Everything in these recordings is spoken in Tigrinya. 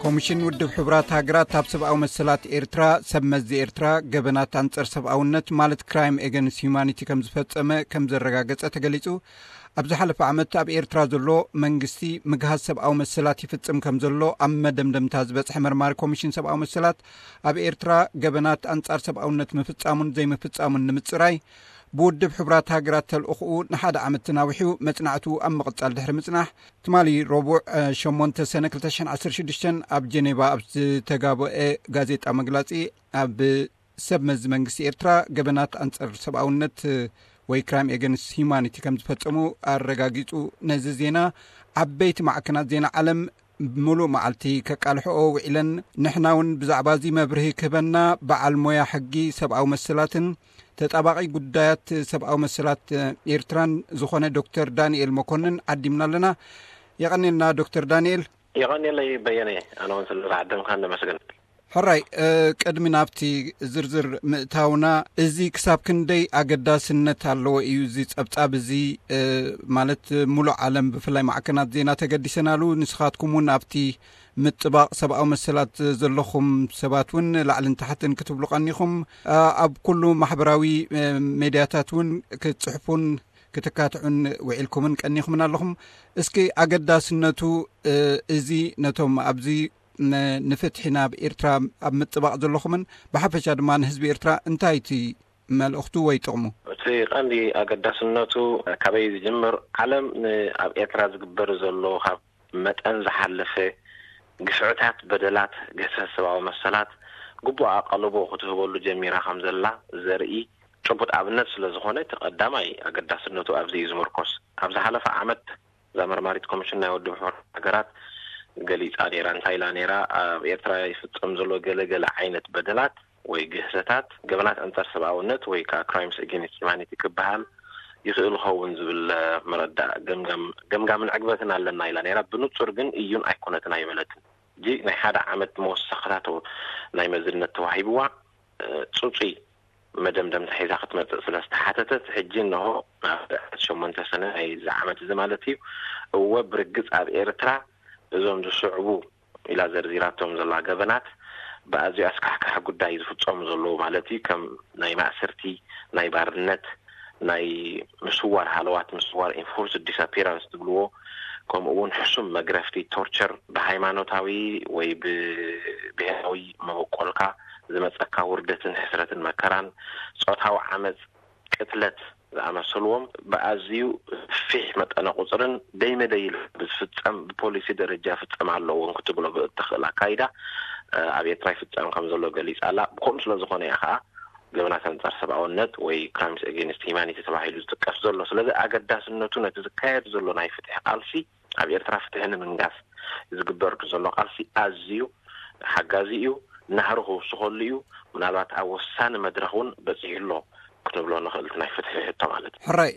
ኮሚሽን ውድብ ሕቡራት ሃገራት ኣብ ሰብኣዊ መሰላት ኤርትራ፣ ሰብ መዚ ኤርትራ ገበናት ኣንጸር ሰብኣውነት ማለት ክራይም ኤገንስ ሂዩማኒቲ ከም ዝፈጸመ ከም ዘረጋገጸ ተገሊጹ። ኣብ ዝሓለፈ ዓመት ኣብ ኤርትራ ዘሎ መንግስቲ ምግሃስ ሰብኣዊ መሰላት ይፍጽም ከም ዘሎ ኣብ መደምደምታ ዝበጽሐ መርማሪ ኮሚሽን ሰብኣዊ መሰላት፣ ኣብ ኤርትራ ገበናት ኣንጻር ሰብኣውነት ምፍጻሙን ዘይምፍጻሙን ንምጽራይ ብውድብ ሕቡራት ሃገራት ተልእኽኡ ንሓደ ዓመት ተናዊሑ መጽናዕቱ ኣብ ምቕጻል ድሕሪ ምጽናሕ፣ ትማሊ ረቡዕ ሸሞንተ ሰነ ክልተ ሽሕን ዓሰርተ ሽዱሽተን ኣብ ጀኔቫ ኣብ ዝተጋበአ ጋዜጣ መግላጺ፣ ኣብ ሰብ መዚ መንግስቲ ኤርትራ ገበናት ኣንጸር ሰብኣውነት ወይ ክራይም ኤገንስ ሂዩማኒቲ ከም ዝፈጸሙ ኣረጋጊጹ። ነዚ ዜና ዓበይቲ ማዕከናት ዜና ዓለም ምሉእ መዓልቲ ከቃልሕኦ ውዒለን። ንሕና እውን ብዛዕባ እዚ መብርሂ ክህበና በዓል ሞያ ሕጊ ሰብኣዊ መሰላትን ተጣባቒ ጉዳያት ሰብኣዊ መሰላት ኤርትራን ዝኾነ ዶክተር ዳንኤል መኮንን ዓዲምና ኣለና። የቐኔልና ዶክተር ዳንኤል። የቐኔለይ በየነ፣ ኣነ እውን ስለ ዝዓደምካ ነመስግን። ሕራይ፣ ቅድሚ ናብቲ ዝርዝር ምእታውና፣ እዚ ክሳብ ክንደይ ኣገዳስነት ኣለዎ እዩ እዚ ጸብጻብ እዚ፣ ማለት፣ ሙሉእ ዓለም ብፍላይ ማዕከናት ዜና ተገዲሰናሉ። ንስኻትኩም እውን ኣብቲ ምጥባቕ ሰብኣዊ መሰላት ዘለኹም ሰባት እውን ላዕልን ታሕትን ክትብሉ ቀኒኹም፣ ኣብ ኩሉ ማሕበራዊ ሜድያታት እውን ክትጽሕፉን ክትካትዑን ውዒልኩምን ቀኒኹምን ኣለኹም። እስኪ ኣገዳስነቱ እዚ ነቶም ኣብዚ ንፍትሒ ናብ ኤርትራ ኣብ ምጥባቕ ዘለኹምን ብሓፈሻ ድማ ንህዝቢ ኤርትራ እንታይ እቲ መልእኽቱ ወይ ጥቕሙ? እቲ ቀንዲ ኣገዳስነቱ ካበይ ዝጅምር? ዓለም ኣብ ኤርትራ ዝግበር ዘሎ ካብ መጠን ዝሓለፈ ግፍዕታት፣ በደላት፣ ግህሰት ሰብኣዊ መሰላት ግቡእ ኣቓልቦ ክትህበሉ ጀሚራ ከም ዘላ ዘርኢ ጭቡጥ ኣብነት ስለ ዝኾነ፣ እቲ ቀዳማይ ኣገዳስነቱ ኣብዚ እዩ ዝምርኮስ። ኣብ ዝሓለፈ ዓመት እዛ መርማሪት ኮሚሽን ናይ ውድብ ሕቡራት ሃገራት ገሊጻ ነይራ። እንታይ ኢላ ነይራ? ኣብ ኤርትራ ይፍጸም ዘሎ ገለ ገለ ዓይነት በደላት ወይ ግህሰታት፣ ገበናት ኣንጻር ሰብኣውነት ወይ ከዓ ክራይምስ ኣጌንስት ሂማኒቲ ክበሃል ይኽእል ኸውን ዝብል መረዳእ ገምጋምን ዕግበትን ኣለና ኢላ ነይራ። ብንጹር ግን እዩን ኣይኮነትን ኣይበለትን። እዚ ናይ ሓደ ዓመት መወሰኽታቶ ናይ መዝነት ተዋሂብዋ፣ ጽጹይ መደምደምታ ሒዛ ክትመጽእ ስለ ዝተሓተተት፣ ሕጂ እንሆ ኣብ ዕለት ሸሞንተ ሰነ ናይ እዚ ዓመት እዚ ማለት እዩ፣ እወ ብርግጽ ኣብ ኤርትራ እዞም ዝስዕቡ ኢላ ዘርዚራቶም ዘላ ገበናት ብኣዝዩ ኣስካሕካሒ ጉዳይ ዝፍጸሙ ዘለዉ ማለት እዩ፣ ከም ናይ ማእሰርቲ፣ ናይ ባርነት፣ ናይ ምስዋር ሃለዋት፣ ምስዋር፣ ኢንፎርስ ዲስኣፒራንስ ትብልዎ፣ ከምኡ እውን ሕሱም መግረፍቲ፣ ቶርቸር፣ ብሃይማኖታዊ ወይ ብብሄራዊ መበቆልካ ዝመጸካ ውርደትን ሕስረትን መከራን፣ ጾታዊ ዓመጽ፣ ቅትለት ዝኣመሰልዎም ብኣዝዩ ፊሕ መጠነ ቁጽርን ደይመደይ ኢሉ ብዝፍጸም ብፖሊሲ ደረጃ ፍጸም ኣለዎም ክትብሎ ብእትኽእል ኣካይዳ ኣብ ኤርትራ ይፍጸም ከም ዘሎ ገሊጻ ኣላ። ብከምኡ ስለ ዝኾነ እያ ከኣ ገበናት ኣንጻር ሰብኣውነት ወይ ክራይምስ ኣጌንስት ሂማኒቲ ተባሂሉ ዝጥቀስ ዘሎ። ስለዚ ኣገዳስነቱ ነቲ ዝካየድ ዘሎ ናይ ፍትሒ ቃልሲ ኣብ ኤርትራ ፍትሒ ንምንጋስ ዝግበር ዘሎ ቃልሲ ኣዝዩ ሓጋዚ እዩ። ናህሪ ክውስኸሉ እዩ። ምናልባት ኣብ ወሳኒ መድረኽ እውን በጺሑ ኣሎ ክንብሎ ንኽእል፣ እቲ ናይ ፍትሒ ሕቶ ማለት እዩ። ሕራይ፣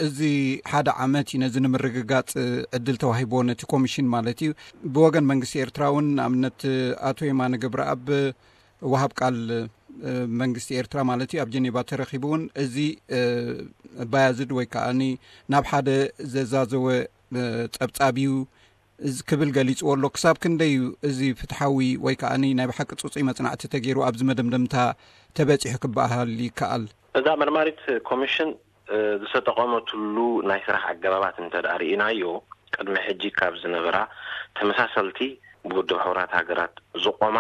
እዚ ሓደ ዓመት እዩ ነዚ ንምርግጋጽ ዕድል ተዋሂብዎ ነቲ ኮሚሽን ማለት እዩ። ብወገን መንግስቲ ኤርትራ እውን ንኣብነት ኣቶ የማነ ገብረኣብ ወሃብ ቃል መንግስቲ ኤርትራ ማለት እዩ ኣብ ጀኔቫ ተረኺቡ እውን እዚ ባያዝድ ወይ ከዓኒ ናብ ሓደ ዘዛዘወ ጸብጻብ እዩ ክብል ገሊጽዎ ኣሎ። ክሳብ ክንደይ እዩ እዚ ፍትሓዊ ወይ ከዓኒ ናይ ብሓቂ ጽጹይ መጽናዕቲ ተገይሩ ኣብዚ መደምደምታ ተበጺሑ ክበሃል ይከኣል? እዛ መርማሪት ኮሚሽን ዝተጠቐመትሉ ናይ ስራሕ ኣገባባት እንተ ደኣ ርኢናዮ፣ ቅድሚ ሕጂ ካብ ዝነበራ ተመሳሰልቲ ብውድብ ሕቡራት ሃገራት ዝቖማ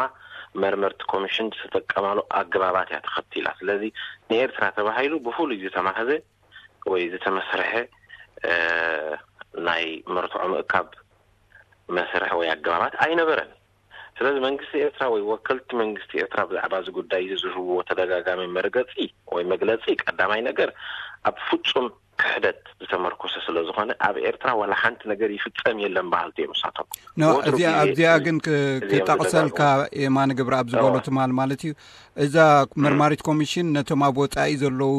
መርመርቲ ኮሚሽን ዝተጠቀማሉ ኣገባባት እያ ተኸቲላ። ስለዚ ንኤርትራ ተባሂሉ ብፍሉይ ዝተማህዘ ወይ ዝተመስርሐ ናይ መርትዖ ምእካብ መስርሕ ወይ ኣገባባት ኣይነበረን። ስለዚ መንግስቲ ኤርትራ ወይ ወከልቲ መንግስቲ ኤርትራ ብዛዕባ እዚ ጉዳይ እዚ ዝህብዎ ተደጋጋሚ መርገጺ ወይ መግለጺ ቀዳማይ ነገር ኣብ ፍጹም ክሕደት ዝተመርኮሰ ስለ ዝኾነ ኣብ ኤርትራ ዋላ ሓንቲ ነገር ይፍጸም የለን በሃልቲ እዮም ንሳቶም። ኖ፣ ወትሩ እዚኣ ግዜ ኣብዚኣ ግን ክ- እዚኦም ክጠቕሰልካ ዝደጋግሙ። የማነ ገብረኣብ ዝበሎ እወ። ትማል ማለት እዩ። እዛ መርማሪት ኮሚሽን ነቶም ኣብ ወጻኢ ዘለዉ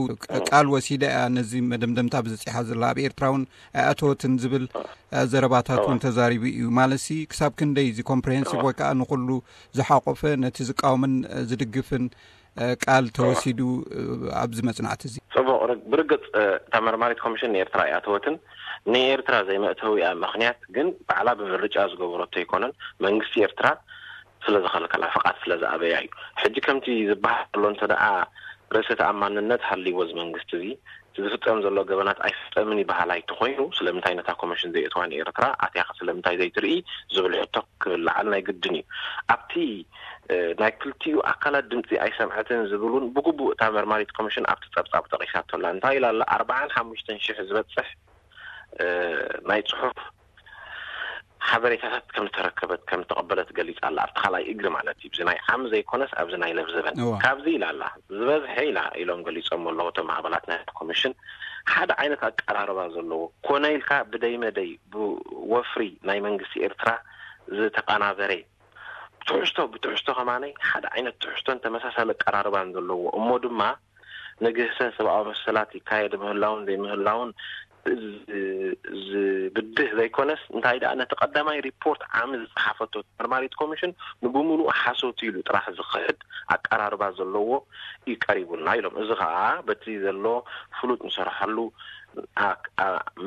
ቃል ወሲዳ እያ ነዚ መደምደምታ ብዝጺሓ ዘላ። ኣብ ኤርትራ እውን ኣይኣተወትን ዝብል ዘረባታት እውን ተዛሪቡ እዩ። ማለትሲ ክሳብ ክንደይ እዚ ኮምፕሬሄንሲቭ ወይ ከዓ ንኹሉ ዝሓቆፈ ነቲ ዝቃወምን ዝድግፍን ቃል ተወሲዱ ኣብዚ መጽናዕቲ እዚ? ጽቡቕ። ብርግጽ እታ መርማሪት ኮሚሽን ንኤርትራ ኣይኣተወትን። ንኤርትራ ዘይመእተዊኣ ምኽንያት ግን ባዕላ ብምርጫ ዝገበረቶ ኣይኮነን። መንግስቲ ኤርትራ ስለ ዝኸልከላ፣ ፍቓድ ስለ ዝኣበያ እዩ። ሕጂ ከምቲ ዝበሃል ዘሎ እንተ ደኣ ርእሰ ተኣማንነት ሃልይዎ እዚ መንግስቲ እዚ፣ እቲ ዝፍጸም ዘሎ ገበናት ኣይፍጸምን ይበሃል ኣይተኾይኑ፣ ስለምንታይ ነታ ኮሚሽን ዘይእትዋ ንኤርትራ ኣትያኸ ስለምንታይ ዘይትርኢ ዝብል ሕቶ ክልዓል ናይ ግድን እዩ። ኣብቲ ናይ ክልቲኡ ኣካላት ድምፂ ኣይሰምዐትን ዝብል እውን ብግቡእ እታ መርማሪት ኮሚሽን ኣብቲ ፀብፃብ ጠቂሳቶ ኣላ። እንታይ ኢላ ኣላ? ኣርባዓን ሓሙሽተን ሽሕ ዝበፅሕ ናይ ፅሑፍ ሓበሬታታት ከም ዝተረከበት ከም ዝተቐበለት ገሊፃ ኣላ። ኣብቲ ካልኣይ እግሪ ማለት እዩ። እዚ ናይ ዓም ዘይኮነስ ኣብዚ ናይ ለብዘበን ካብዚ ኢላ ኣላ። ዝበዝሐ ኢላ ኢሎም ገሊፆም ኣለዉ እቶም ኣባላት ናይ ኮሚሽን ሓደ ዓይነት ኣቀራርባ ዘለዎ ኮነ ኢልካ ብደይ መደይ ብወፍሪ ናይ መንግስቲ ኤርትራ ዝተቐናበረ ትሕዝቶ ብትሕዝቶ ከማነይ ሓደ ዓይነት ትሕዝቶን ተመሳሳሊ ኣቀራርባን ዘለዎ እሞ ድማ ንግህሰ ሰብኣዊ መሰላት ይካየድ ምህላውን ዘይምህላውን ዝብድህ ዘይኮነስ እንታይ ደኣ ነቲ ቀዳማይ ሪፖርት ዓሚ ዝፀሓፈቶ መርማሪት ኮሚሽን ንብምሉኡ ሓሶት ኢሉ ጥራሕ ዝኽሕድ ኣቀራርባ ዘለዎ እዩ ቀሪቡልና ኢሎም። እዚ ከዓ በቲ ዘሎ ፍሉጥ ንሰርሓሉ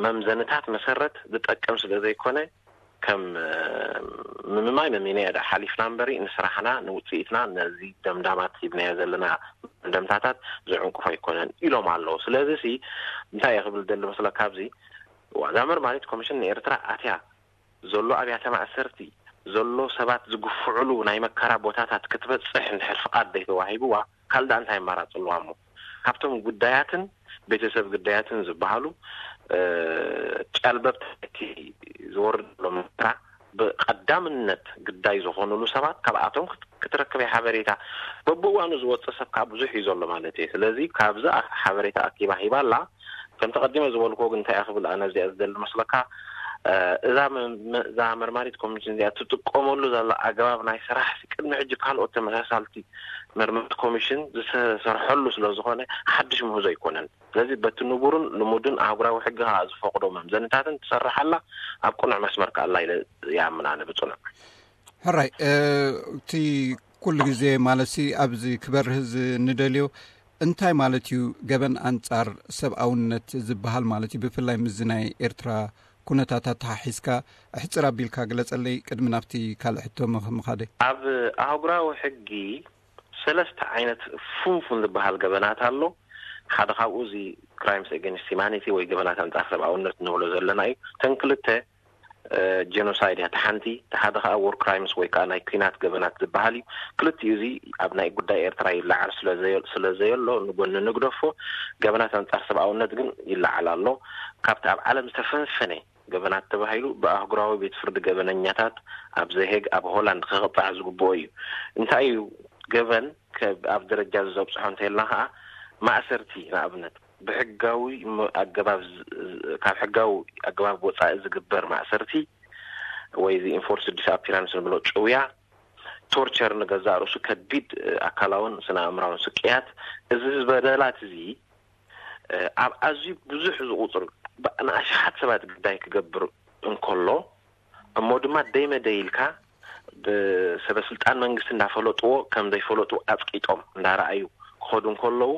መምዘንታት መሰረት ዝጠቅም ስለ ዘይኮነ ከም ምምማይ መሚነያ ዳ ሓሊፍና እምበሪ ንስራሕና ንውፅኢትና ነዚ ደምዳማት ሂብናዮ ዘለና ደምዳምታታት ዝዕንቁፍ ኣይኮነን ኢሎም ኣለዉ። ስለዚ ሲ እንታይ እየ ክብል ደሊ መስለካ? ኣብዚ ዋዛ መርማሪት ኮሚሽን ንኤርትራ ኣትያ ዘሎ ኣብያተ ማእሰርቲ ዘሎ ሰባት ዝግፍዕሉ ናይ መከራ ቦታታት ክትበፅሕ እንድሕር ፍቓድ ዘይተዋሂብዋ ካልእ እንታይ ኣማራፂ ኣለዋ እሞ ካብቶም ጉዳያትን ቤተሰብ ግዳያትን ዝበሃሉ ጨልበብቲ ዝወርድ ዘሎ መከራ ብቀዳምነት ግዳይ ዝኾኑሉ ሰባት ካብኣቶም ክትረክበ ሓበሬታ በብእዋኑ ዝወፅእ ሰብ ከዓ ብዙሕ እዩ ዘሎ ማለት እዩ። ስለዚ ካብዚ ሓበሬታ ኣኪባ ሂባ ኣላ። ከም ተቐዲመ ዝበልክዎ ግን እንታይ ክብል ኣነ እዚኣ ዝደሊ መስለካ እዛ እዛ መርማሪት ኮሚሽን እዚኣ ትጥቀመሉ ዘላ ኣገባብ ናይ ስራሕ ቅድሚ ሕጂ ካልኦት ተመሳሳልቲ መርማሪት ኮሚሽን ዝሰርሐሉ ስለ ዝኾነ ሓድሽ ምህዞ ኣይኮነን። ስለዚ በቲ ንቡርን ልሙድን ኣህጉራዊ ሕጊ ከዓ ዝፈቕዶ መምዘንታትን ትሰርሕ ኣላ። ኣብ ቅኑዕ መስመር ከዓ ኣላ ኢለ ይኣምን ኣነ ብፅኑዕ። ሕራይ እቲ ኩሉ ግዜ ማለት ሲ ኣብዚ ክበርህ ዝንደልዮ እንታይ ማለት እዩ? ገበን ኣንጻር ሰብኣውነት ዝበሃል ማለት እዩ። ብፍላይ ምስዚ ናይ ኤርትራ ኩነታታት ተሓሒዝካ ኣሕጽር ኣቢልካ ግለጸለይ ቅድሚ ናብቲ ካልእ ሕቶ ምኻደይ። ኣብ ኣህጉራዊ ሕጊ ሰለስተ ዓይነት ፉንፉን ዝበሃል ገበናት ኣሎ። ሓደ ካብኡ እዚ crimes against humanity ወይ ገበናት ኣንጻር ሰብኣውነት ንብሎ ዘለና እዩ። እተን ክልተ genocide እያ እቲ ሓንቲ፣ እቲ ሓደ ከዓ war crimes ወይ ከዓ ናይ ኲናት ገበናት ዝበሃል እዩ። ክልቲኡ እዚ ኣብ ናይ ጉዳይ ኤርትራ ይለዓል ስለ ዘየሎ ንጎኒ ንግደፎ። ገበናት ኣንጻር ሰብኣውነት ግን ይለዓል ኣሎ። ካብቲ ኣብ ዓለም ዝተፈንፈነ ገበናት ተባሂሉ ብኣህጉራዊ ቤት ፍርዲ ገበነኛታት ኣብ ዘሄግ ኣብ ሆላንድ ክቕፃዕ ዝግብኦ እዩ። እንታይ እዩ ገበን ኣብ ደረጃ ዘብፅሖ እንተልና ከዓ ማእሰርቲ ንኣብነት ብሕጋዊ ኣገባብ ካብ ሕጋዊ ኣገባብ ወፃኢ ዝግበር ማእሰርቲ ወይ እዚ enforced disappearance ንብሎ ጭውያ፣ torture ንገዛእ ርእሱ ከቢድ ኣካላውን ስነ ኣእምራውን ስቅያት፣ እዚ ዝበደላት እዚ ኣብ ኣዝዩ ብዙሕ ዝቁፅር ንኣሽሓት ሰባት ግዳይ ክገብር እንከሎ እሞ ድማ ደይ መደይ ኢልካ ብሰበ ስልጣን መንግስቲ እንዳፈለጥዎ ከም ዘይፈለጡ ኣፅቂጦም እንዳረኣዩ ክኸዱ እንከለዉ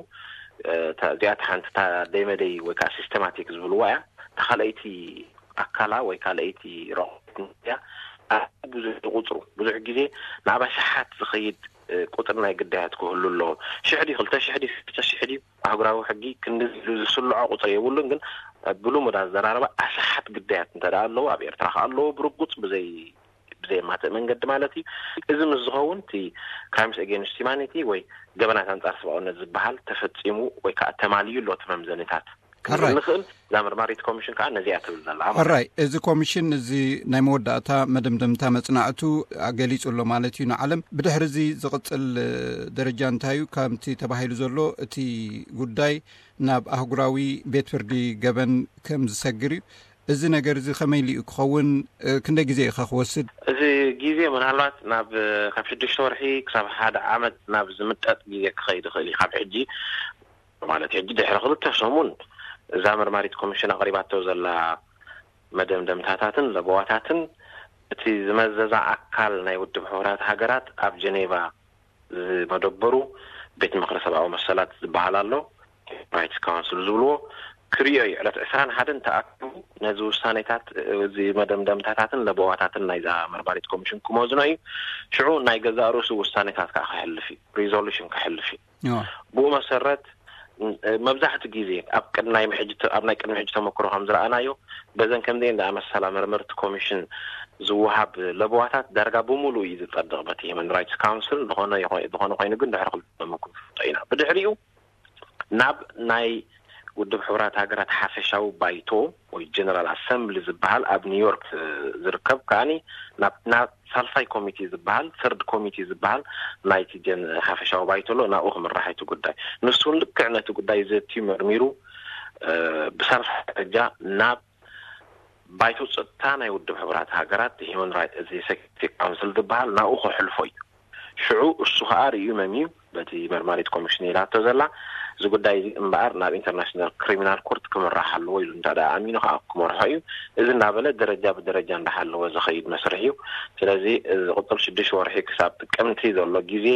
እዚኣ ሓንቲ ደይ መደይ ወይ ከዓ systematic ዝብልዋ እያ። ተኻለይቲ ኣካላ ወይ ካልኣይቲ ረቑት እያ። ብዙሕ ቁፅሩ ብዙሕ ግዜ ናብ ኣሽሓት ዝኸይድ ቁፅሪ ናይ ግዳያት ክህሉ ኣለዎ። ሽሕ ድዩ ክልተ ሽሕ ድዩ ሰለስተ ሽሕ ድዩ ኣህጉራዊ ሕጊ ክንዲ ኢሉ ዝስልዖ ቁፅሪ የብሉን። ግን ብልሙድ ኣዘራርባ ኣሽሓት ግዳያት እንተ ኣለዎ ኣብ ኤርትራ ከ ኣለዎ ብርጉፅ ብዘይ ብዘየማትእ መንገዲ ማለት እዩ። እዚ ምስ ዝኸውን እቲ crimes against humanity ወይ ገበናት ኣንጻር ሰብኣውነት ዝበሃል ተፈጺሙ ወይ ከዓ ተማልዩ ኣሎ እቲ መምዘኒታት ክንብል ንኽእል። እዛ መርማሪት ኮሚሽን ከዓ ነዚኣ ትብል ዘላ ማለት ሕራይ እዚ ኮሚሽን እዚ ናይ መወዳእታ መደምደምታ መጽናዕቱ ገሊጹ ኣሎ ማለት እዩ ንዓለም። ብድሕሪ እዚ ዝቕጽል ደረጃ እንታይ እዩ? ከምቲ ተባሂሉ ዘሎ እቲ ጉዳይ ናብ ኣህጉራዊ ቤት ፍርዲ ገበን ከም ዝሰግር እዩ። እዚ ነገር እዚ ከመይ ኢሉ እዩ ክኸውን? ክንደይ ግዜ እዩ ክወስድ? እዚ ግዜ ምናልባት ናብ ካብ ሽዱሽተ ወርሒ ክሳብ ሓደ ዓመት ናብ ዝምጠጥ ግዜ ክኸይድ ይኽእል እዩ። ካብ ሕጂ ማለት ሕጂ ድሕሪ ክልተ ሰሙን እዛ መርማሪት ኮሚሽን ኣቕሪባቶ ዘላ መደምደምታታትን ለበዋታትን እቲ ዝመዘዛ ኣካል ናይ ውድብ ሕቡራት ሃገራት ኣብ ጀኔቫ ዝመደበሩ ቤት ምኽሪ ሰብኣዊ መሰላት ዝበሃል ኣሎ፣ ራይትስ ካውንስል ዝብልዎ ክርእዮ እዩ። ዕለት ዕስራን ሓደን ተኣኪቡ ነዚ ውሳኔታት፣ እዚ መደምደምታታትን ለበዋታትን ናይዛ መርማሪት ኮሚሽን ክመዝኖ እዩ። ሽዑ ናይ ገዛእ ርእሱ ውሳኔታት ከዓ ክሕልፍ እዩ፣ ሪዞሉሽን ክሕልፍ እዩ። ብኡ መሰረት፣ መብዛሕትኡ ግዜ ኣብ ቅድሚ ናይ ሕጂ፣ ኣብ ናይ ቅድሚ ሕጂ ተመክሮ ከም ዝረኣናዮ፣ በዘን ከምዚአን ዝኣመሰላ መርመርቲ ኮሚሽን ዝወሃብ ለበዋታት ዳርጋ ብምሉእ እዩ ዝጸድቕ በቲ ሂማን ራይትስ ካውንስል። ዝኾነ ይኾ-፣ ዝኾነ ኮይኑ ግን ድሕሪ ክልተ መኩ ንፈልጦ ኢና። ብድሕሪኡ ናብ ናይ ውድብ ሕቡራት ሃገራት ሓፈሻዊ ባይቶ ወይ ጀነራል ኣሰምብሊ ዝበሃል ኣብ ኒውዮርክ ዝርከብ ከኣኒ ናብ፣ ናብ ሳልሳይ ኮሚቴ ዝበሃል፣ ሰርድ ኮሚቴ ዝበሃል ናይቲ ጀን-፣ ሓፈሻዊ ባይቶ ኣሎ። ናብኡ ክምራሕ እቲ ጉዳይ። ንሱ እውን ልክዕ ነቲ ጉዳይ ዘትዩ መርሚሩ፣ እ፣ ብሳልሳይ ደረጃ ናብ ባይቶ ጸጥታ ናይ ውድብ ሕቡራት ሃገራት ሂማን ራይት፣ እዚ ሴኩሪቲ ካውንስል ዝበሃል ናብኡ ከሕልፎ እዩ። ሽዑ እሱ ከኣ ርእዩ መምዩ በቲ መርማሪት ኮሚሽን ኢላቶ ዘላ፣ እዚ ጉዳይ እዚ እምበኣር ናብ ኢንተርናሽናል ክሪሚናል ኮርት ክምራሕ ኣለዎ ኢሉ እንተ ደኣ ኣሚኑ ከኣ ክመርሖ እዩ። እዚ እናበለ ደረጃ ብደረጃ እንዳሓለወ ዝኸይድ መስርሕ እዩ። ስለዚ እዚ ዝቕጽል ሽዱሽተ ወርሒ ክሳብ ጥቅምቲ ዘሎ ግዜ፣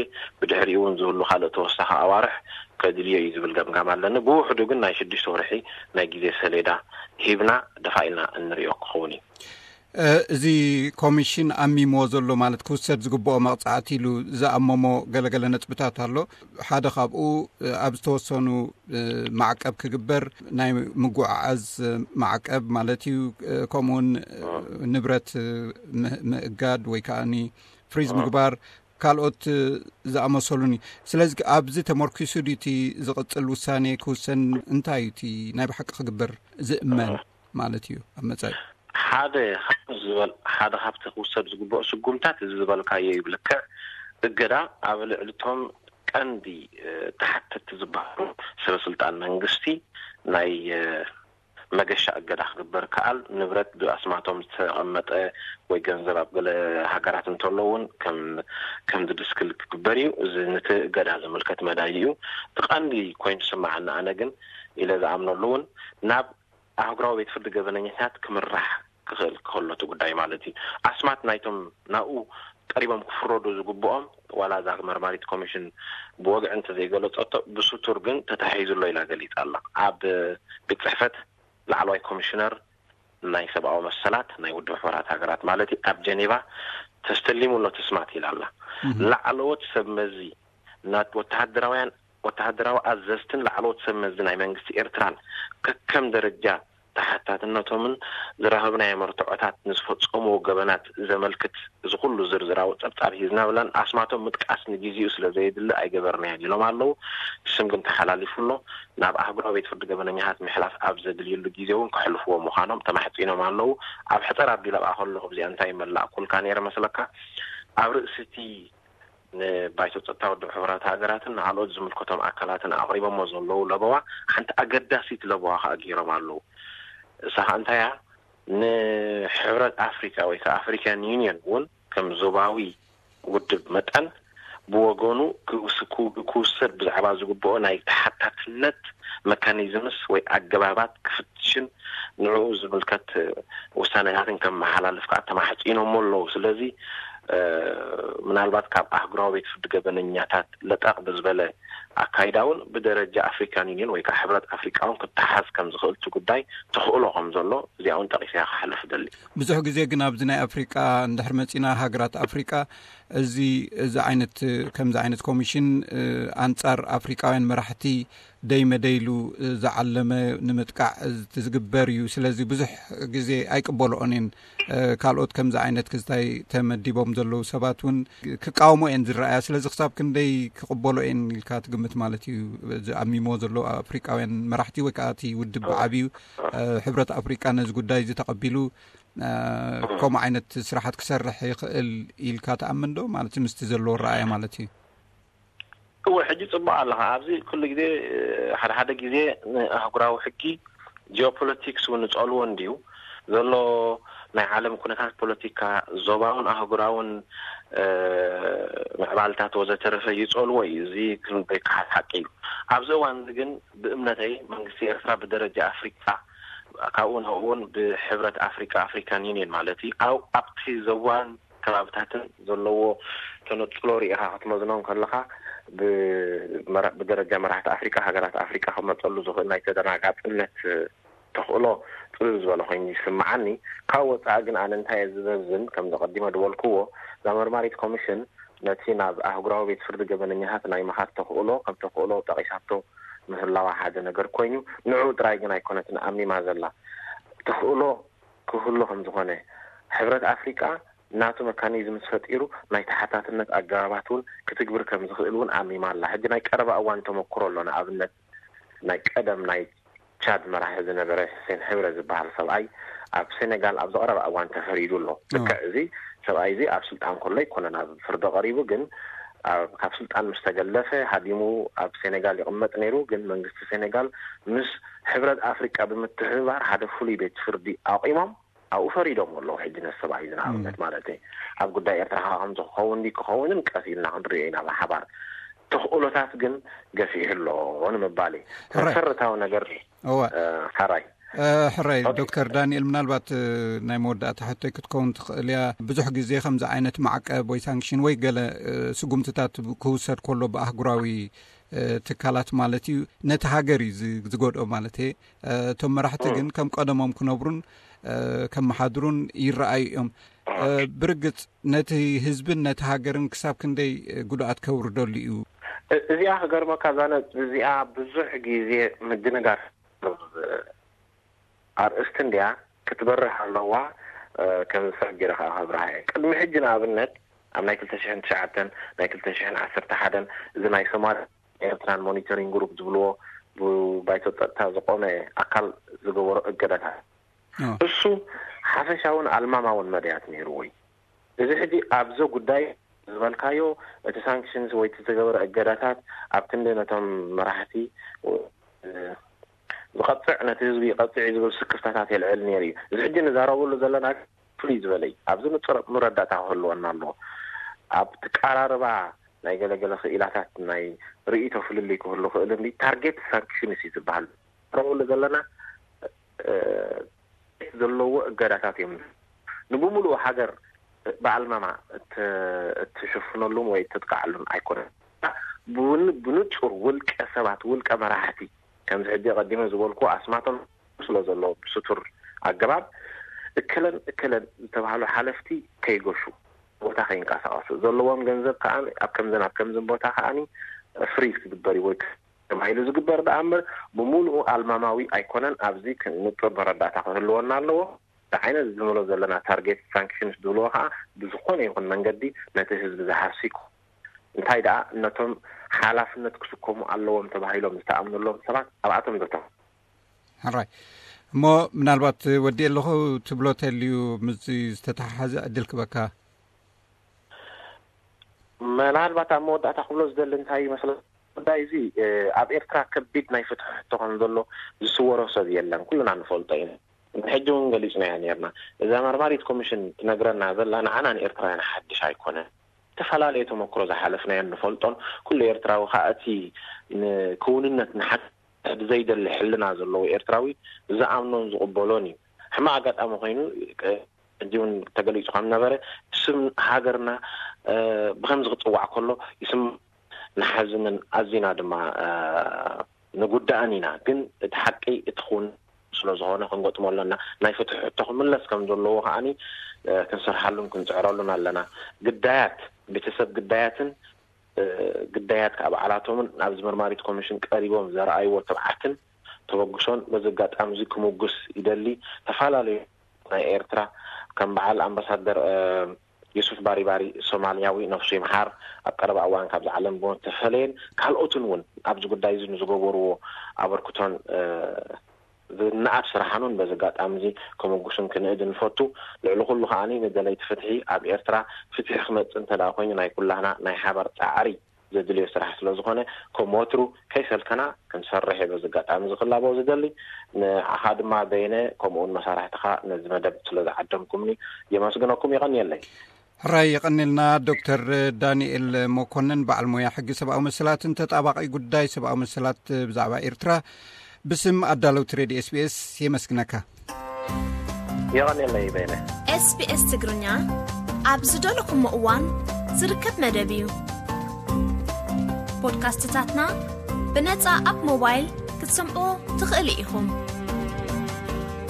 ብድሕሪኡ እውን ዝህሉ ካልእ ተወሳኺ ኣዋርሕ ከድልዮ እዩ ዝብል ገምጋም ኣለኒ። ብውሕዱ ግን ናይ ሽዱሽተ ወርሒ ናይ ግዜ ሰሌዳ ሂብና ደፋኢና እንሪኦ ክኸውን እዩ። እ፣ እዚ ኮሚሽን ኣሚምዎ ዘሎ ማለት ክውሰድ ዝግብኦ መቕጻዕቲ ኢሉ ዝኣመሞ ገለገለ ነጥብታት ኣሎ። ሓደ ካብኡ፣ እ፣ ኣብ ዝተወሰኑ፣ እ፣ ማዕቀብ ክግበር፣ ናይ ምጉዕዓዝ ማዕቀብ ማለት እዩ። እ፣ ከምኡውን፣ እ፣ ንብረት፣ እ፣ ም-፣ ምእጋድ ወይ ከኣኒ ፍሪዝ ምግባር፣ ካልኦት፣ እ፣ ዝኣመሰሉን እዩ። ስለዚ ኣብዚ ተመርኪሱ ድዩ እቲ ዝቕጽል ውሳኔ ክውሰን? እንታይ እዩ እቲ ናይ ብሓቂ ክግበር ዝእመን ማለት እዩ ኣብ መጻኢ? ሓደ ካብ ዝበል-፣ ሓደ ካብቲ ክውሰድ ዝግብኦ ስጉምታት እዚ ዝበልካዮ እዩ። ብልክዕ እገዳ ኣብ ልዕሊ እቶም ቀንዲ፣ እ፣ ተሓተትቲ ዝበሃሉ ሰበ ስልጣን መንግስቲ ናይ፣ እ፣ መገሻ እገዳ ክግበር ከኣል፣ ንብረት ብኣስማቶም ዝተቐመጠ ወይ ገንዘብ ኣብ ገለ ሃገራት እንተሎ እውን ከም፣ ከም ዝድስክል ክግበር እዩ። እዚ ነቲ እገዳ ዝምልከት መዳይ እዩ። እቲ ቀንዲ ኮይኑ ዝስምዓኒ ኣነ ግን ኢለ ዝኣምነሉ እውን ናብ ኣህጉራዊ ቤት ፍርዲ ገበነኛታት ክምራሕ ክኽእል ከሎ እቲ ጉዳይ ማለት እዩ። ኣስማት ናይቶም ናብኡ ቀሪቦም ክፍረዱ ዝግብኦም፣ ዋላ እዛ መርማሪት ኮሚሽን ብወግዒ እንተዘይገለጸቶ፣ ብስቱር ግን ተታሒዙ ኣሎ ኢላ ገሊጻ ኣላ። ኣብ ቤት ጽሕፈት ላዕለዋይ ኮሚሽነር ናይ ሰብኣዊ መሰላት ናይ ውድብ ሕቡራት ሃገራት ማለት እዩ፣ ኣብ ጀኔቫ ተስተሊሙ ኣሎ እቲ ስማት ኢላ ኣላ። ላዕለዎት ሰብ መዚ፣ ናት ወተሃደራውያን፣ ወተሃደራዊ ኣዘዝትን ላዕለዎት ሰብ መዚ ናይ መንግስቲ ኤርትራን ከከም ደረጃ ተሓታትነቶምን ዝረኸብናዮ መርትዖታት ንዝፈጸምዎ ገበናት ዘመልክት እዚ ኩሉ ዝርዝራዊ ጸብጻብ ሒዝና ብለን ኣስማቶም ምጥቃስ ንግዜኡ ስለ ዘየድሊ ኣይገበርናዮን ኢሎም ኣለዉ። ስም ግን ተሓላሊፉ ኣሎ። ናብ ኣህጉራዊ ቤት ፍርዲ ገበነኛታት ምሕላፍ ኣብ ዘድልየሉ ግዜ እውን ከሕልፍዎ ምዃኖም ተማሕጺኖም ኣለዉ። ኣብ ሕጸር ኣቢለ ኣብኣ ከለኹ እዚኣ እንታይ መላእኩልካ ነይረ መስለካ? ኣብ ርእሲ እቲ ንባይቶ ጸጥታ ውድብ ሕቡራት ሃገራትን ንኻልኦት ዝምልከቶም ኣካላትን ኣቕሪቦሞ ዘለዉ ለበዋ፣ ሓንቲ ኣገዳሲት ለበዋ ከኣ ገይሮም ኣለዉ። እሳ ከኣ እንታይ እያ? ንሕብረት ኣፍሪቃ ወይ ከኣ ኣፍሪካን ዩኒየን እውን ከም ዞባዊ ውድብ መጠን ብወገኑ ክውስ-፣ ክው-፣ ክውሰድ ብዛዕባ ዝግብኦ ናይ ተሓታትነት መካኒዝምስ ወይ ኣገባባት ክፍትሽን ንዕኡ ዝምልከት ውሳኔታትን ከመሓላልፍ ከኣ ተማሕጺኖሞ ኣለዉ። ስለዚ፣ እ፣ ምናልባት ካብ ኣህጉራዊ ቤት ፍርዲ ገበነኛታት ለጠቕ ብዝበለ ኣካይዳ እውን ብደረጃ ኣፍሪካን ዩኒየን ወይ ከዓ ሕብረት ኣፍሪቃ እውን ክተሓዝ ከም ዝኽእል እቲ ጉዳይ ተኽእሎ ከም ዘሎ እዚኣ እውን ጠቒሰ እያ ክሓልፍ እደሊ። ብዙሕ ግዜ ግን ኣብዚ ናይ ኣፍሪቃ እንድሕር መጺና፣ ሃገራት ኣፍሪቃ እዚ፣ እዚ ዓይነት፣ ከምዚ ዓይነት ኮሚሽን፣ እ፣ ኣንጻር ኣፍሪቃውያን መራሕቲ ደይ መደይሉ ዝዓለመ ንምጥቃዕ ዝግበር እዩ። ስለዚ ብዙሕ ግዜ ኣይቅበልኦን እየን። እ፣ ካልኦት ከምዚ ዓይነት ክስታይ ተመዲቦም ዘለዉ ሰባት እውን ክቃወሞ እየን ዝረኣያ። ስለዚ ክሳብ ክንደይ ክቕበሎ እየን ኢልካ ትግምት ማለት እዩ? እዚ ኣሚሞ ዘሎ ኣፍሪቃውያን መራሕቲ ወይ ከዓ እቲ ውድብ ብዓብዩ፣ እ፣ ሕብረት ኣፍሪቃ ነዚ ጉዳይ እዚ ተቐቢሉ፣ እ፣ ከምኡ ዓይነት ስራሓት ክሰርሕ ይኽእል ኢልካ ትኣምን ዶ? ማለት ምስቲ ዘለዎ ረኣያ ማለት እዩ። እወ፣ ሕጂ ጽቡቕ ኣለኻ። ኣብዚ ኩሉ ግዜ፣ ሓደ ሓደ ግዜ ንኣህጉራዊ ሕጊ ጂኦፖለቲክስ እውን ንጸልዎ እንድዩ ዘሎ። ናይ ዓለም ኩነታት ፖለቲካ፣ ዞባውን ኣህጉራውን፣ እ፣ ምዕባልታት ወዘተረፈ ይጸልዎ እዩ። እዚ ክንደይከሓድ ሓቂ እዩ። ኣብዚ እዋን እዚ ግን ብእምነተይ መንግስቲ ኤርትራ ብደረጃ ኣፍሪቃ፣ ካብኡ ንኡ እውን ብሕብረት ኣፍሪቃ፣ ኣፍሪካን ዩኒየን ማለት እዩ፣ ኣብ፣ ኣብቲ ዞባን ከባብታትን ዘለዎ ተነጽሎ ርኢኻ ክትመዝኖ እንከለኻ፣ ብመራ-፣ ብደረጃ መራሕቲ ኣፍሪቃ፣ ሃገራት ኣፍሪቃ ክመጸሉ ዝኽእል ናይ ተደናጋጽነት ተኽእሎ ጥብብ ዝበለ ኮይኑ ይስምዓኒ። ካብ ወፃኢ ግን ኣነ እንታይ እየ ዝዘዝን፣ ከም ዘቐዲመ ዝበልክዎ፣ እዛ መርማሪት ኮሚሽን ነቲ ናብ ኣህጉራዊ ቤት ፍርዲ ገበነኛታት ናይ ምኻድ ተኽእሎ ከም ተኽእሎ ጠቒሳቶ ምህላዋ ሓደ ነገር ኮይኑ፣ ንዕኡ ጥራይ ግን ኣይኮነትን ኣሚማ ዘላ። ተኽእሎ ክህሉ ከም ዝኾነ፣ ሕብረት ኣፍሪቃ ናቱ መካኒዝምስ ፈጢሩ ናይ ተሓታትነት ኣገባባት እውን ክትግብር ከም ዝኽእል እውን ኣሚማ ኣላ። ሕጂ ናይ ቀረባ እዋን ተመክሮ ኣሎ። ንኣብነት ናይ ቀደም ናይ ቻድ መራሒ ዝነበረ ሕሴን ሕብረ ዝበሃል ሰብኣይ ኣብ ሴኔጋል ኣብ ዝቐረባ እዋን ተፈሪዱ ኣሎ። ልክዕ እዚ ሰብኣይ እዚ ኣብ ስልጣን ከሎ ኣይኮነን ኣብ ፍርዲ ቀሪቡ፣ ግን ኣብ- ካብ ስልጣን ምስ ተገለፈ ሃዲሙ ኣብ ሴኔጋል ይቕመጥ ነይሩ። ግን መንግስቲ ሴኔጋል ምስ ሕብረት ኣፍሪቃ ብምትሕብባር ሓደ ፍሉይ ቤት ፍርዲ ኣቑሞም ኣብኡ ፈሪዶም ኣለዉ። ሕጂ ነቲ ሰብኣይ እዚ ንኣብነት ማለት እዩ። ኣብ ጉዳይ ኤርትራ ከዓ ከም ዝኸውን ድዩ ክኸውንን ቀስ ኢልና ክንሪኦ ኢና ብሓባር። ተኽእሎታት ግን ገፊሑ ኣሎ ንምባል እዩ። ሕራይ። መሰረታዊ ነገር እወ። እ፣ ሕራይ። እ፣ ሕራይ ኦኬ። ዶክተር ዳንኤል፣ ምናልባት እ፣ ናይ መወዳእታ ሕቶይ ክትከውን ትኽእል እያ። ብዙሕ ግዜ ከምዚ ዓይነት ማዕቀብ ወይ ሳንክሽን ወይ ገለ እ፣ ስጉምትታት ክውሰድ ከሎ ብኣህጉራዊ እ፣ ትካላት ማለት እዩ፣ ነቲ ሃገር እዩ ዝ- ዝጎድኦ ማለት እየ። እ፣ እቶም መራሕቲ እ። ግን ከም ቀደሞም ክነብሩን እ፣ ከመሓድሩን ይረኣዩ እዮም። እ፣ ብርግጽ ነቲ ህዝብን ነቲ ሃገርን ክሳብ ክንደይ እ፣ ጉድኣት ከውርደሉ እዩ? እ- እዚኣ ክገርመካ፣ እዛ ነጥቢ እዚኣ ብዙሕ ግዜ ምድንጋር ኣርእስቲ እንድያ ክትበርህ ኣለዋ። እ፣ ከም ዝስዕብ ገይረ ከዓ ከብርሃ እየ። ቅድሚ ሕጂ ንኣብነት ኣብ ናይ ክልተ ሽሕን ትሽዓተን ናይ ክልተ ሽሕን ዓሰርተ ሓደን እዚ ናይ ሶማል ኤርትራን ሞኒተሪንግ ግሩፕ ዝብልዎ ብባይቶ ጸጥታ ዝቆመ ኣካል ዝገበሮ እገዳታት፣ ኦ። እሱ ሓፈሻውን ኣልማማውን መድያት ነይሩ ወይ እዚ ሕጂ ኣብዞ ጉዳይ ዝበልካዮ እቲ ሳንክሽንስ ወይ እቲ ዝተገበረ እገዳታት ኣብ ክንዲ ነቶም መራሕቲ እ፣ ዝቐጥዕ ነቲ ህዝቢ ይቐጥዕ እዩ ዝብል ስክፍታታት የልዕል ነይሩ እዩ። እዚ ሕጂ ንዛረበሉ ዘለና ፍሉይ ዝበለ እዩ። ኣብዚ ንጹር መረዳእታ ክህልወና ኣለዎ። ኣብ ትቀራርባ ናይ ገለገለ ክኢላታት ናይ ርእይቶ ፍልልይ ክህሉ ክእል እንዲ ታርጌት ሳንክሽንስ እዩ ዝበሃል። ንረብሉ ዘለና እ፣ ዘለዎ እገዳታት እዮም። ንብምሉኡ ሃገር ብኣልማማ እት- እትሽፍነሉን ወይ እትጥቃዓሉን ኣይኮነን። ብውን- ብንጹር ውልቀ ሰባት፣ ውልቀ መራሕቲ፣ ከምዚ ሕጂ ቀዲመ ዝበልኩ ኣስማቶም ስለ ዘሎ ብስቱር ኣገባብ እከለን እከለን ዝተባህሉ ሓለፍቲ ከይገሹ፣ ቦታ ከይንቀሳቀሱ፣ ዘለዎም ገንዘብ ከዓ ኣብ ከምዝን ኣብ ከምዝን ቦታ ከዓኒ ፍሪዝ ክግበር እዩ ወይ ተባሂሉ ዝግበር ደኣ እምበር ብምሉኡ ኣልማማዊ ኣይኮነን። ኣብዚ ንጹር መረዳእታ ክህልወና ኣለዎ። እቲ ዓይነት ዝብሎ ዘለና ታርጌት ሳንክሽንስ ዝብልዎ ከዓ ብዝኾነ ይኹን መንገዲ ነቲ ህዝቢ ዝሃሲ ይኩን። እንታይ ደኣ ነቶም ሓላፍነት ክስከሙ ኣለዎም ተባሂሎም ዝተኣምነሎም ሰባት ኣብኣቶም ዘተኹ። ሕራይ። እሞ ምናልባት ወዲ ኣለኹ ትብሎ ተልዩ ምስ ዝተተሓሓዘ ዕድል ክበካ። ምናልባት ኣብ መወዳእታ ክብሎ ዝደሊ እንታይ ይመስለካ፣ ጉዳይ እዚ እ፣ ኣብ ኤርትራ ከቢድ ናይ ፍትሒ ሕቶ ከም ዘሎ ዝስወሮ ሰብ የለን፣ ኩልና ንፈልጦ ኢና። ሕጂ እውን ገሊጽናያ ነርና። እዛ መርማሪት ኮሚሽን ትነግረና ዘላ ንዓና ንኤርትራውያን ሓድሽ ኣይኮነን። ዝተፈላለየ ተመክሮ ዝሓለፍናዮ ንፈልጦን ኩሉ ኤርትራዊ ከዓ እቲ ንክውንነት ንሓ ብዘይደሊ ሕልና ዘለዎ ኤርትራዊ ዝኣምኖን ዝቕበሎን እዩ። ሕማቕ ኣጋጣሚ ኮይኑ ቅ- ሕጂ እውን ተገሊጹ ከም ነበረ ስም ሃገርና እ፣ ብከምዚ ክጽዋዕ ከሎ ይስም ንሓዝንን ኣዚና ድማ እ፣ ንጉዳእን ኢና። ግን እቲ ሓቂ እቲ ክውን ስለ ዝኾነ ክንገጥሞ ኣለና። ናይ ፍትሒ ሕቶ ክምለስ ከም ዘለዎ ከዓኒ እ፣ ክንሰርሓሉን ክንጽዕረሉን ኣለና። ግዳያት ቤተሰብ ግዳያትን እ፣ ግዳያት ከዓ በዓላቶምን ኣብዚ መርማሪት ኮሚሽን ቀሪቦም ዘረኣይዎ ትብዓትን ተበግሶን በዚ ኣጋጣሚ እዚ ክምጉስ ይደሊ። ዝተፈላለዩ ናይ ኤርትራ ከም በዓል ኣምባሳደር እ፣ ዩሱፍ ባሪባሪ ሶማልያዊ ነፍሱ ይምሓር ኣብ ቀረባ እዋን ካብዚ ዓለም ብሞት ተፈለየን ካልኦትን እውን ኣብዚ ጉዳይ እዚ ንዝገበርዎ ኣበርክቶን እ፣ ዝነኣድ ስራሕን እውን በዚ ኣጋጣሚ እዚ ከመጉስን ክንእድ ንፈቱ። ልዕሊ ኩሉ ከዓኒ ንደለይቲ ፍትሒ ኣብ ኤርትራ ፍትሒ ክመጽእ እንተ ደኣ ኮይኑ ናይ ኩላህና ናይ ሓባር ጻዕሪ ዘድልዮ ስራሕ ስለ ዝኾነ ከም ወትሩ ከይሰልከና ክንሰርሕ እየ በዚ ኣጋጣሚ እዚ ክላቦ ዝደሊ። ንዓኻ ድማ በየነ ከምኡውን መሳርሕትኻ ነዚ መደብ ስለ ዝዓደምኩምኒ የመስግነኩም። የቐንየለይ። ሕራይ የቐንልና ዶክተር ዳንኤል መኮንን በዓል ሞያ ሕጊ ሰብኣዊ መሰላትን ተጣባቂ ጉዳይ ሰብኣዊ መሰላት ብዛዕባ ኤርትራ ብስም ኣዳለውቲ ሬድዮ ኤስቢኤስ የመስግነካ። የቐንየለይ በየነ። ኤስቢኤስ ትግርኛ ኣብ ዝደለኹሞ እዋን ዝርከብ መደብ እዩ። ፖድካስትታትና ብነጻ ኣብ ሞባይል ክትሰምዑ ትኽእሉ ኢኹም።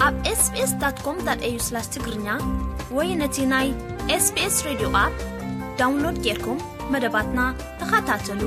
ኣብ ኤስቢኤስ ዳት ኮም ዳት ኤዩ ስላሽ ትግርኛ ወይ ነቲ ናይ ኤስቢኤስ ሬድዮ ኣፕ ዳውንሎድ ጌርኩም መደባትና ተኸታተሉ።